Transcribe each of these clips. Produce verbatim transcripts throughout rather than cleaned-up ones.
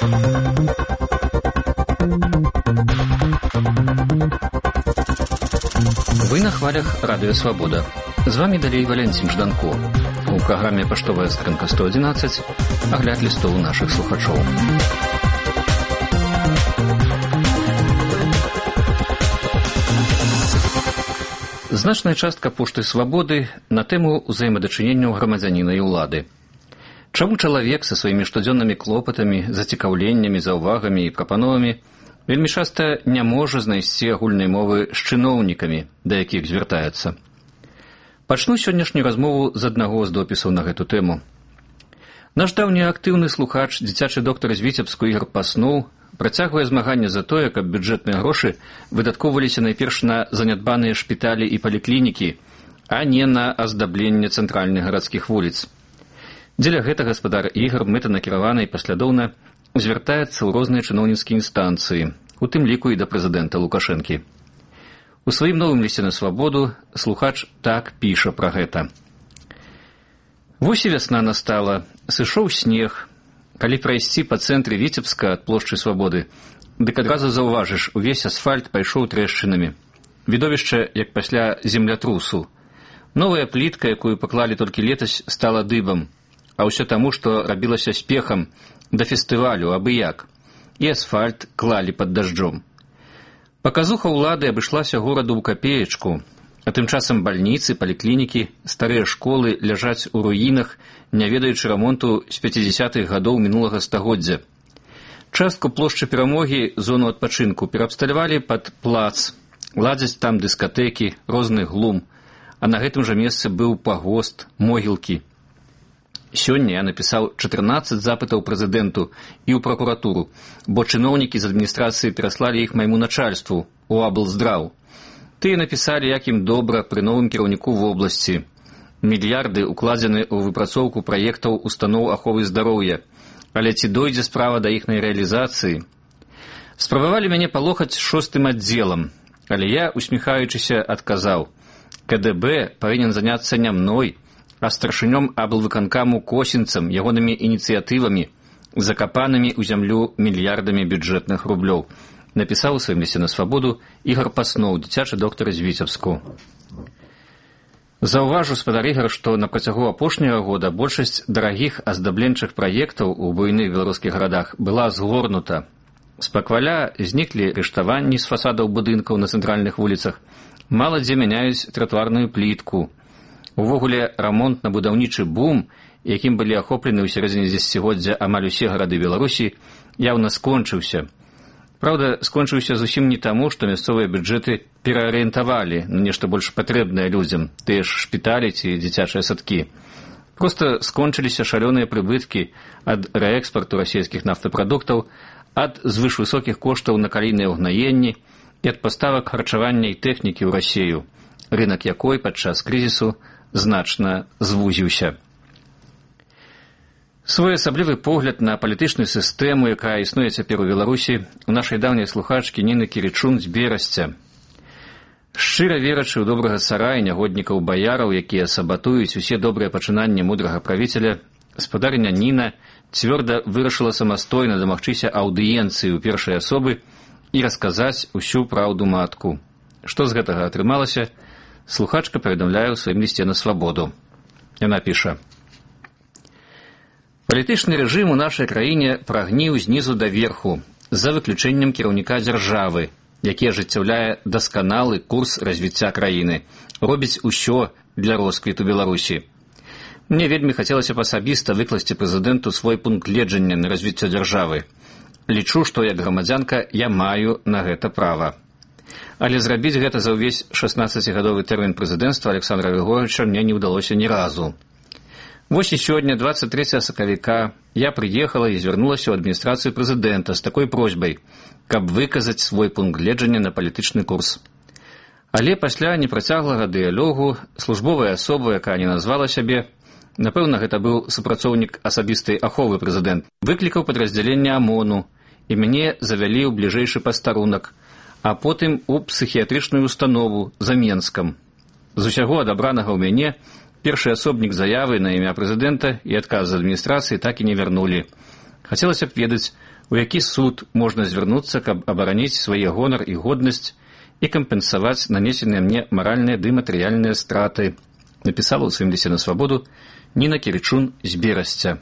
Вы на хвалях Радио Свобода. З вами далей Валентин Жданко. У праграме «Паштовая скрынка сто одиннадцать» агляд лістоў нашых слухачоў. Значная частка пошты «Свабоды» на тэму ўзаемадачыненняў грамадзяніна і ўлады. Чаму чалавек са сваімі штодзённымі клопатамі, зацікаўленнямі, заўвагамі і прапановамі вельмі часта не можа знайсці агульнай мовы з чыноўнікамі, да якіх звяртаецца? Пачну сённяшнюю размову з аднаго з допісаў на гэту тэму. Наш даўні актыўны слухач, дзіцячы доктар з Віцебску Ігар Паснуў, працягвае змаганне за тое, каб бюджэтныя грошы выдаткоўваліся найперш на занядбаныя шпіталі і паліклінікі, а не на аздабленне цэнтральных гарадскіх вуліц. Дзеля гэтага гаспадар Ігар мэтанакіравана і паслядоўна звяртаецца ў розныя чыноўніцкія інстанцыі, у тым ліку і да прэзідэнта Лукашэнкі. У сваім новым лісце на Свабоду слухач так піша пра гэта. Вось і вясна настала, сышоў снег. Калі прайсці па цэнтры Віцебска ад плошчы Свабоды, дык адразу заўважыш, увесь асфальт пайшоў трэшчынамі. Відовішча, як пасля землятрусу. Новая плітка, якую паклалі толькі летась, стала дыбам, а ўсё таму, што рабілася спехам да фестывалю, абы як. І асфальт клалі пад дажджом. Паказуха ўлады абышлася гораду ў капеечку, а тым часам бальніцы, паліклінікі, старыя школы ляжаць у руінах, не ведаючы рамонту з пяцідзясятых гадоў мінулага стагоддзя. Частку плошчы Перамогі, зону адпачынку, пераабсталявалі пад плац, ладзяць там дыскатэкі, розны глум, а на гэтым жа месцы быў пагост, могілкі. Сёння я напісаў чатырнаццаць запытаў прэзідэнту і ў пракуратуру, бо чыноўнікі з адміністрацыі пераслалі іх майму начальству, у аблздраў. Тыя напісалі, як ім добра пры новым кіраўніку вобласці. Мільярды укладзены ў выпрацоўку праектаў устаноў аховы здароўя, але ці дойдзе справа да іхнай рэалізацыі? Спрабавалі мяне палохаць шостым аддзелам, але я, усміхаючыся, адказаў: ка дэ бэ павінен заняцца не мной, а старшынём аблвыканкаму Косінцам, ягонымі ініцыятывамі, закапанымі ў зямлю мільярдамі бюджэтных рублёў, напісаў у сваім лісце на Свабоду Ігар Паснуў, дзіцячы доктар з Віцебску. Заўважу, спадар Ігар, што на працягу апошняга года большасць дарагіх аздабленчых праектаў у буйных беларускіх гарадах была згорнута. З пакваля зніклі рыштаванні з фасадаў будынкаў на цэнтральных вуліцах, мала дзе мяняюць тратуарную плітку. Увогуле, рамонтна-будаўнічы бум, якім былі ахоплены ў сярэдзіне дзесяцігоддзя амаль усе гарады Беларусі, яўна скончыўся. Праўда, скончыўся зусім не таму, што мясцовыя бюджэты пераарыентавалі на нешта больш патрэбнае людзям, тыя ж шпіталі ці дзіцячыя садкі. Проста скончыліся шалёныя прыбыткі ад рээкспарту расійскіх нафтапрадуктаў, ад звышвысокіх коштаў на калійныя ўгнаенні і ад паставак харчавання і тэхнікі ў Расію, рынак якой падчас крызісу значна звузіўся. Своеасаблівы погляд на палітычную сістэму, якая існуе цяпер у Беларусі, у нашай даўняй слухачкі Ніны Кірычун з Берасця. Шчыра верачы ў добрага цара і нягоднікаў баяраў, якія сабатуюць усе добрыя пачынанні мудрага правіцеля, спадарыня Ніна цвёрда вырашыла самастойна дамагчыся аўдыенцыі ў першай асобы і расказаць усю праўду матку. Што з гэтага атрымалася, слухачка паведамляе ў сваім лісце на Свабоду. Яна піша: «Палітычны рэжым у нашай краіне прагніў знізу да верху, за выключэннем кіраўніка дзяржавы, які ажыццяўляе дасканалы курс развіцця краіны, робіць усё для росквіту Беларусі. Мне вельмі хацелася б асабіста выкласці прэзідэнту свой пункт гледжання на развіццё дзяржавы. Лічу, што як грамадзянка я маю на гэта права. Але зрабіць гэта за ўвесь шаснаццацігадовы тэрмін прэзідэнцтва Александра Григорьевича мне не ўдалося ні разу. Вось і сёння, двадцать трэцяга сакавіка, я прыехала і звярнулася ў адміністрацыю прэзідэнта з такой просьбай, каб выказаць свой пункт гледжання на палітычны курс. Але пасля непрацяглага дыялогу службовая асоба, якая не назвала сябе, напэўна, гэта быў супрацоўнік асабістай аховы прэзідэнт, выклікаў падраздзяленне ОМОНу, і мяне завялі ў бліжэйшы пастарунак, а потым у псіхіятрычную установу за Менскам. З усяго адабранага ў мяне першы асобнік заявы на імя прэзідэнта і адказ з адміністрацыі так і не вярнулі. Хацелася б ведаць, у які суд можна звярнуцца, каб абараніць свае гонар і годнасць і кампенсаваць нанесеныя мне маральныя ды матэрыяльныя страты, напісала ў сваім лісце на свабоду Ніна Кірычун з Берасця.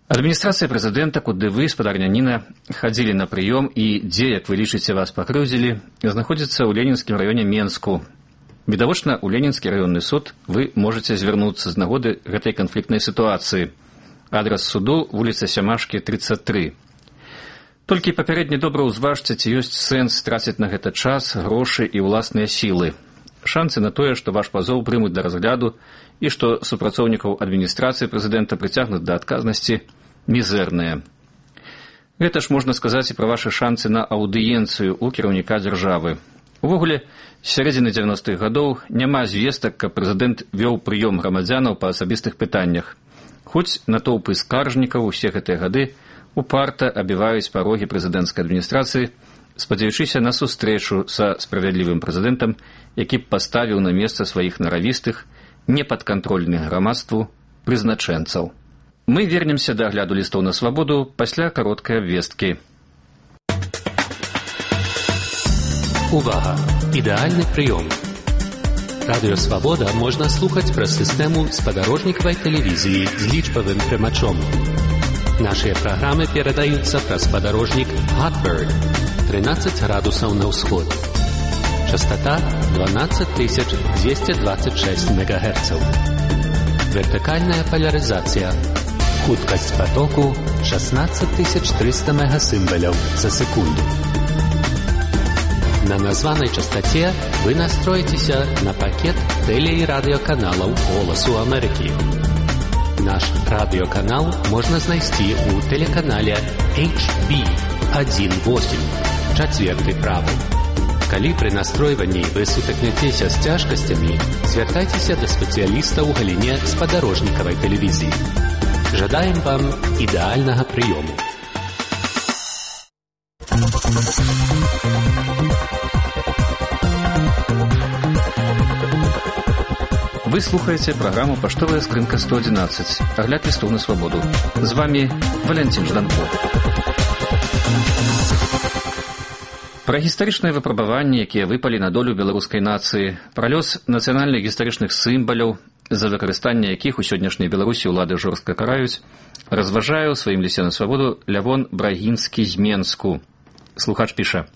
Адміністрацыя прэзідэнта, куды вы, спадарня Ніна, хадзілі на прыём і дзе, як вы лічыце, вас пакрыўдзілі, знаходзіцца ў Ленінскім раёне Менску. Відавочна, у Ленінскі раённы суд вы можаце звярнуцца з нагоды гэтай канфліктнай сітуацыі. Адрас суду – вуліца Сямашкі, трыццаць тры. Толькі папярэдне добра ўзважце, ці ёсць сэнс траціць на гэта час, грошы і ўласныя сілы. Шансы на тое, што ваш пазоў прымуць да разгляду і што супрацоўнікаў адміністрацыі прэзідэнта прыцягнуць да адказнасці, мізэрныя. Гэта ж можна сказаць і пра вашы шансы на аўдыенцыю ў кіраўніка дзяржавы. Увогуле, з сярэдзіны дзевяностых гадоў няма звестак, каб прэзідэнт вёў прыём грамадзянаў па асабістых пытаннях. Хоць натоўпы скаржнікаў усе гэтыя гады упарта абіваюць парогі прэзідэнцкай адміністрацыі, спадзяючыся на сустрэчу са справядлівым прэзідэнтам, які б паставіў на месца сваіх наравістых, непадкантрольных грамадству прызначэнцаў. Мы вернемся да агляду лістоў на свабоду пасля кароткай абвесткі. Увага! Ідэальны прыём. Радыё «Свабода» можна слухаць праз сістэму спадарожнікавай тэлевізіі з лічбавым прымачом. Нашыя праграмы перадаюцца праз спадарожнік Hotbird трынаццаць градусаў на ўсход. Частота дванаццаць тысяч дзвесце дваццаць шэсць мегагерцаў. Вертыкальная полярызацыя. Хуткасць потоку шестнадцать тысяч триста мегасімваляў за секунду. На названай частоце вы настроіцеся на пакет тэле- і радыёканалаў «Голасу Амерыкі». Наш радыёканал можна знайсці ў тэлеканале эйч би один восемь, чацверты правы. Калі пры настройванні вы сутыкнецеся з цяжкасцямі, звяртайцеся да спецыяліста ў галіне спадарожнікавай тэлевізіі. Жадаем вам ідэальнага прыёму. Вы слухаеце праграму «Паштовая скрынка сто одиннадцать». Агляд лістоў на свабоду. З вами Валянцін Жданко. Пра гістарычныя выпрабаванні, якія выпалі на долю беларускай нацыі, пра лёс нацыянальных гістарычных сімваляў, за выкарыстанне якіх у сённяшняй Беларусі ўлады жорстка караюць, разважае ў сваім лісце на свабоду Лявон Брагінскі з Менску. Слухач піша: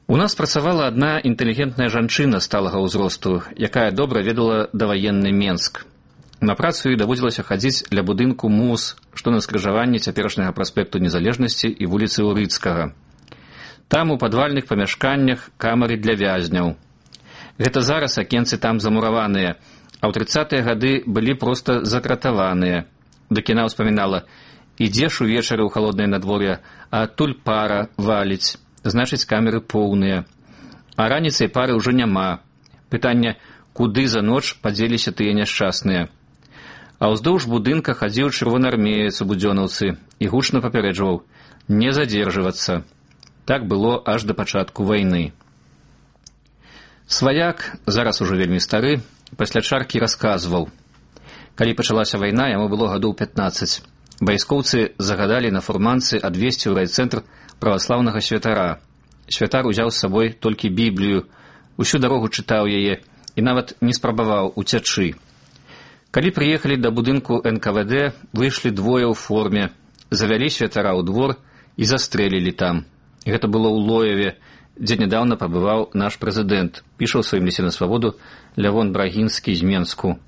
«У нас працавала адна інтэлігентная жанчына сталага ўзросту, якая добра ведала даваенны Менск. На працу ёй даводзілася хадзіць ля будынку МУЗ, што на скрыжаванні цяперашняга праспекту Незалежнасці і вуліцы Урыцкага. Там у падвальных памяшканнях камары для вязняў. Гэта зараз акенцы там замураваныя, а ў трыццатыя гады былі проста закратаваныя. Дык яна ўспамінала: ідзеш увечары ў халоднае надвор'е, а адтуль пара валіць, значыць камеры поўныя. А раніцай пары ўжо няма. Пытанне, куды за ноч падзеліся тыя няшчасныя. А ўздоўж будынка хадзіў чырвонаармеец у будзёнаўцы і гучна папярэджваў: не задзержвацца. Так было аж да пачатку вайны. Сваяк, зараз ужо вельмі стары, пасля чаркі расказваў: калі пачалася вайна, яму было гадоў пятнаццаць. Вайскоўцы загадалі на фурманцы адвезці ў райцэнтр праваслаўнага святара. Святар узяў з сабой толькі Біблію, усю дарогу чытаў яе і нават не спрабаваў уцячы. Калі прыехалі да будынку эн ка вэ дэ, выйшлі двое ў форме, завялі святара ў двор і застрэлілі там. Гэта было ў Лоеве, дзе нядаўна пабываў наш прэзідэнт, піша ў сваім лісце на свабоду Лявон Брагінскі з Менску.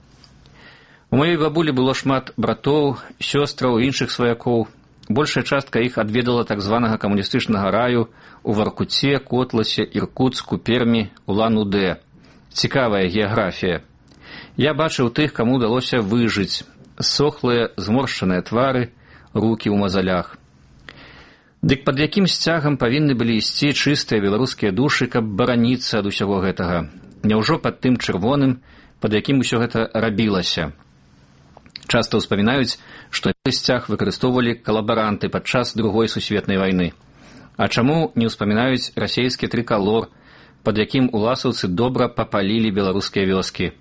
У маёй бабулі было шмат братоў, сёстраў і іншых сваякоў. Большая частка іх адведала так званага камуністычнага раю у Варкуце, Котласе, Іркуцку, Пермі, Улан-Удэ. Цікавая геаграфія. Я бачыў тых, каму ўдалося выжыць. Сохлыя, зморшчаныя твары, рукі ў мазалях. Дык пад якім сцягам павінны былі ісці чыстыя беларускія душы, каб бараніцца ад усяго гэтага? Няўжо пад тым чырвоным, пад якім усё гэта рабілася? Часта ўспамінаюць, што сцяг выкарыстоўвалі калабаранты падчас другой сусветнай вайны. А чаму не ўспамінаюць расейскі трыкалор, пад якім уласаўцы добра папалілі беларускія вёскі?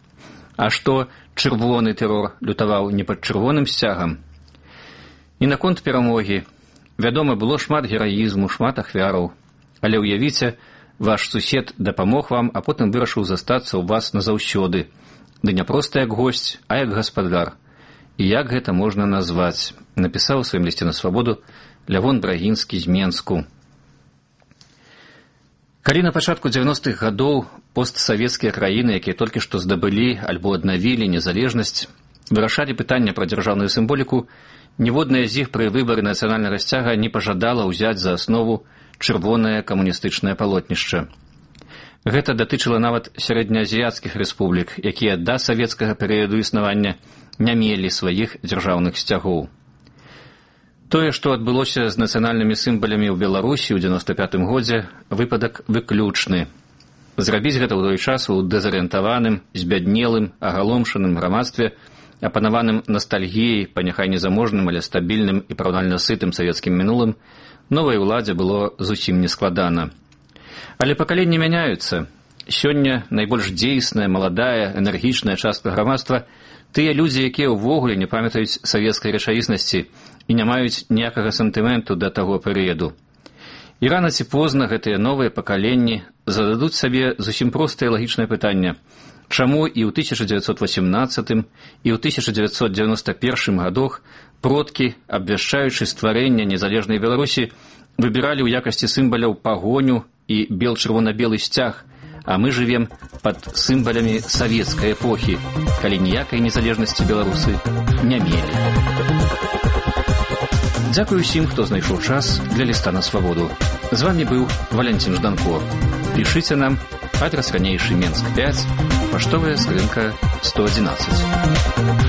А што чырвоны тэрор лютаваў не пад чырвоным сцягам? І наконт перамогі. Вядома, было шмат гераізму, шмат ахвяраў. Але ўявіце, ваш сусед дапамог вам, а потым вырашыў застацца ў вас назаўсёды. Ды не проста як госць, а як гаспадар. І як гэта можна назваць? Напісаў у сваім лісце на свабоду Лявон Брагінскі з Менску. Калі на пачатку дзевяностых гадоў постсавецкія краіны, якія толькі што здабылі альбо аднавілі незалежнасць, вырашалі пытанне пра дзяржаўную сімволіку, ніводная з іх пры выбары нацыянальнага сцяга не пажадала ўзяць за аснову чырвонае камуністычнае палотнішча. Гэта датычыла нават сярэднеазіяцкіх рэспублік, якія да савецкага перыяду існавання не мелі сваіх дзяржаўных сцягоў. Тое, што адбылося з нацыянальнымі сімвалямі ў Беларусі ў дзевяноста пятым годзе, выпадак выключны. Зрабіць гэта ў той час у дэзарыентаваным, збяднелым, агаломшаным грамадстве, апанаваным ностальгіяй па няхай незаможным, але стабільным і параўнальна сытым савецкім мінулым, новай уладзе было зусім нескладана. Але пакаленні мяняюцца. Сёння найбольш дзейсная, маладая, энергічная частка грамадства тыя людзі, якія ўвогуле не памятаюць савецкай рэчаіснасці і не маюць ніякага сантыменту да таго перыяду. І рана ці позна гэтыя новыя пакаленні зададуць сабе зусім простае лагічнае пытанне. Чаму і ў тысяча дзевяцьсот васемнаццатым і ў тысяча дзевяцьсот дзевяноста першым гадах продкі, абвяшчаючы стварэнне незалежнай Беларусі, выбіралі ў якасці сімваляў пагоню і бел-чырвона-белы сцяг, а мы жывем пад сімвалямі савецкай эпохі, калі ніякай незалежнасці беларусы не мелі. Дзякую ўсім, хто знайшоў час для ліста на свабоду. З вамі быў Валянцін Жданко. Пішыце нам, адрас ранейшы Менск пяць, паштовая скрынка сто адзінаццаць.